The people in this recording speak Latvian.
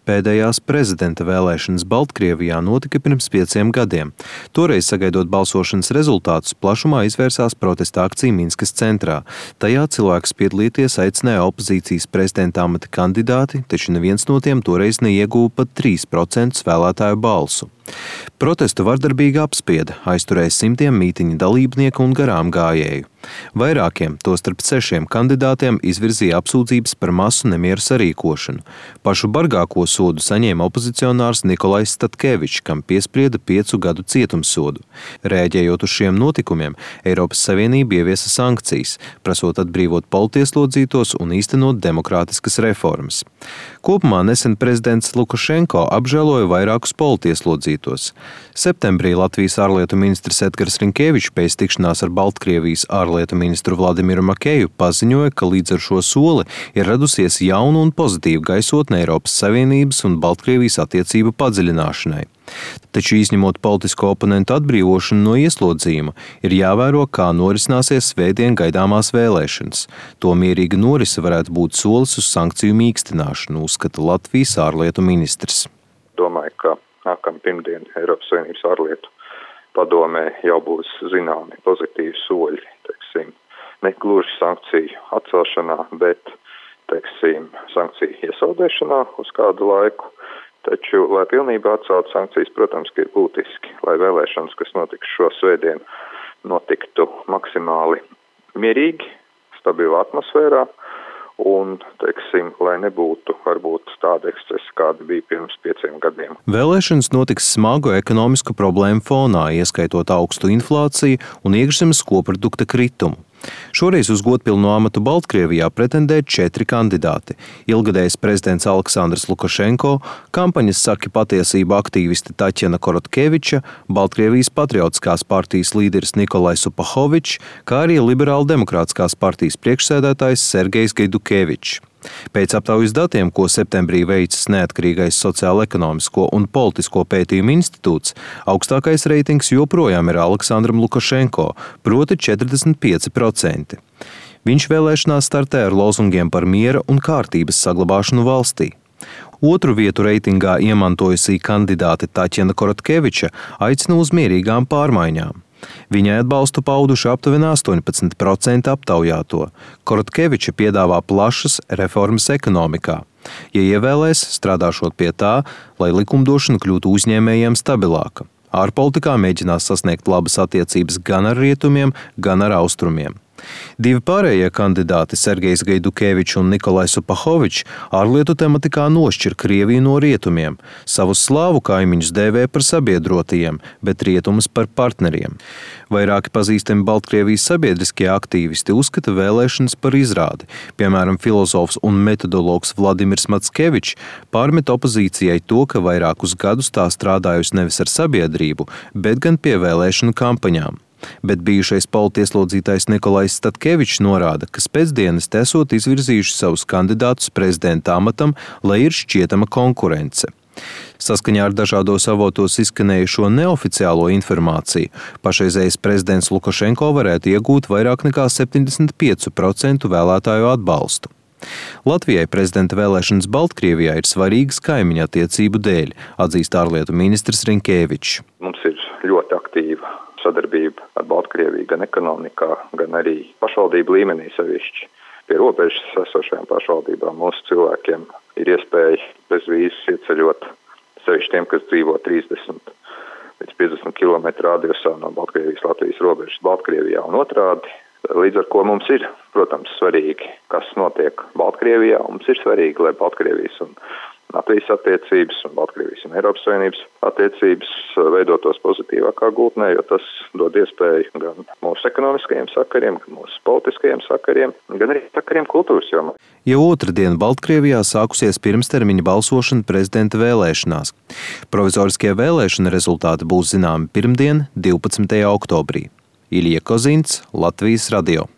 Pēdējās prezidenta vēlēšanas Baltkrievijā notika pirms 5 gadiem. Toreiz, sagaidot balsošanas rezultātus, plašumā izvērsās protesta akcija Minskas centrā. Tajā cilvēkus piedalīties aicināja opozīcijas prezidenta amata kandidāti, taču neviens no tiem toreiz neieguva pat 3% vēlētāju balsu. Protestu vardarbīgi apspieda, aizturēja simtiem mītiņa dalībnieku un garām gājēju. Vairākiem, tostarp 6 kandidātiem, izvirzīja apsūdzības par masu nemieru sarīkošanu. Pašu bargāko sodu saņēma opozicionārs Nikolais Statkevičs, kam piesprieda 5 gadu cietumsodu. Rēģējot uz šiem notikumiem, Eiropas Savienība ieviesa sankcijas, prasot atbrīvot politieslodzītos un īstenot demokrātiskas reformas. Kopumā nesen prezidents Lukašenko apžēloja vairākus politieslodzītos. Septembrī Latvijas ārlietu ministrs Edgars Rinkēvičs pēc tikšanās ar Baltkrievijas ārlietu ministru Vladimiru Makeju paziņoja, ka līdz ar šo soli ir radusies jauna un pozitīva gaisotne Eiropas Savienības un Baltkrievijas attiecību padziļināšanai. Taču izņemot politisko oponentu atbrīvošanu no ieslodzījuma, ir jāvēro, kā norisināsies svētdien gaidāmās vēlēšanas. To mierīga norise varētu būt solis uz sankciju mīkstināšanu, uzskata Latvijas ārlietu ministrs. Domāju, ka nākamā pirmdiena Eiropas Savienības ārlietu padomē jau būs zināmi pozitīvi soļi, ne gluži sankciju atcelšanā, bet, sankciju iesaldēšanā uz kādu laiku. Taču, lai pilnībā atceltu sankcijas, protams, ka ir būtiski, lai vēlēšanas, kas notiks šo svētdienu, notiktu maksimāli mierīgi, stabilā atmosfērā un, lai nebūtu varbūt tāda ekscesa, kāda bija pirms 5 gadiem. Vēlēšanas notiks smagu ekonomisku problēmu fonā, ieskaitot augstu inflāciju un iekšzemes koprodukta kritumu. Šoreiz uz godpilnu amatu Baltkrievijā pretendē 4 kandidāti. Ilgadējs prezidents Aleksandrs Lukašenko, kampaņas saki patiesību aktīviste Taķena Korotkeviča, Baltkrievijas patriotiskās partijas līderis Nikolais Supahovičs, kā arī liberāla demokrātiskās partijas priekšsēdētājs Sergejs Gaidukevičs. Pēc aptaujas datiem, ko septembrī veicis neatkarīgais sociālo-ekonomisko un politisko pētījumu institūts, augstākais reitings joprojām ir Aleksandram Lukašenko, proti 45%. Viņš vēlēšanās startē ar lozungiem par miera un kārtības saglabāšanu valstī. Otru vietu reitingā iemantojusī kandidāte Taķena Korotkeviča aicina uz mierīgām pārmaiņām. Viņai atbalstu pauduši aptuveni 18% aptaujāto. Korotkeviča piedāvā plašas reformas ekonomikā. Ja ievēlēs, strādāšot pie tā, lai likumdošana kļūtu uzņēmējiem stabilāka. Ārpolitikā mēģinās sasniegt labas attiecības gan ar rietumiem, gan ar austrumiem. 2 pārējie kandidāti, Sergejs Gaidukevičs un Nikolais Supahovičs, ārlietu tematikā nošķir Krieviju no rietumiem. Savus slāvu kaimiņus dēvē par sabiedrotajiem, bet rietumus par partneriem. Vairāki pazīstami Baltkrievijas sabiedriskie aktīvisti uzskata vēlēšanas par izrādi. Piemēram, filozofs un metodologs Vladimirs Matskevičs pārmet opozīcijai to, ka vairākus gadus tā strādājusi nevis ar sabiedrību, bet gan pie vēlēšanu kampaņām. Bet bijušais politieslodzītais Nikolais Statkevičs norāda, ka pēcdienas esot izvirzījuši savus kandidātus prezidenta amatam, lai ir šķietama konkurence. Saskaņā ar dažādos avotos izskanējušo neoficiālo informāciju, pašreizējais prezidents Lukašenko varētu iegūt vairāk nekā 75% vēlētāju atbalstu. Latvijai prezidenta vēlēšanas Baltkrievijā ir svarīgas kaimiņa attiecību dēļ, atzīst ārlietu ministrs Rinkēvičs. Mums ir ļoti aktīva sadarbība ar Baltkrieviju gan ekonomikā, gan arī pašvaldību līmenī sevišķi. Pie robežas esošajām pašvaldībām mūsu cilvēkiem ir iespēja bez vīzes ieceļot, sevišķi tiem, kas dzīvo 30 līdz 50 km radiusā no Baltkrievijas-Latvijas robežas Baltkrievijā un otrādi. Līdz ar ko mums ir, protams, svarīgi, kas notiek Baltkrievijā. Mums ir svarīgi, lai Baltkrievijas un Latvijas attiecības un Baltkrievijas un Eiropas Savienības attiecības veidotos pozitīvākā gultnē, jo tas dod iespēju gan mūsu ekonomiskajiem sakariem, gan mūsu politiskajiem sakariem, gan arī sakariem kultūras jomā. Jau otrdien Baltkrievijā sākusies pirmstermiņa balsošana prezidenta vēlēšanās. Provizoriskie vēlēšana rezultāti būs zināmi pirmdien, 12. oktobrī. Ilija Kozints, Latvijas radio.